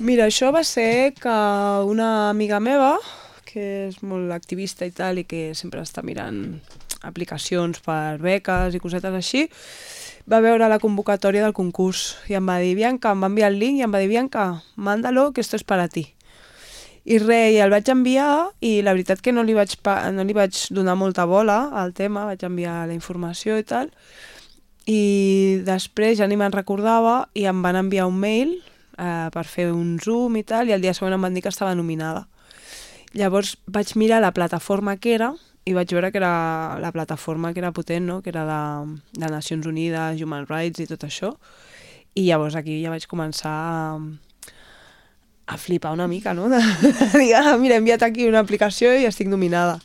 Mira, això va ser que una amiga meva, que és molt activista i tal, i que sempre està mirant aplicacions per beques i cosetes així, va veure la convocatòria del concurs i em va dir, Bianca, em va enviar el link i em va dir, Bianca, mándalo, que esto es para ti. I res, i el vaig enviar i la veritat que no li vaig donar molta bola al tema, vaig enviar la informació i tal, i després ja ni me'n recordava i em van enviar un mail per fer un Zoom i tal, i el dia següent em van dir que estava nominada. Llavors vaig mirar la plataforma que era i vaig veure que era la plataforma que era potent, no? Que era de Nacions Unides, Human Rights i tot això. I llavors aquí ja vaig començar a flipar una mica, no? De dir, mira, he enviat aquí una aplicació i estic nominada.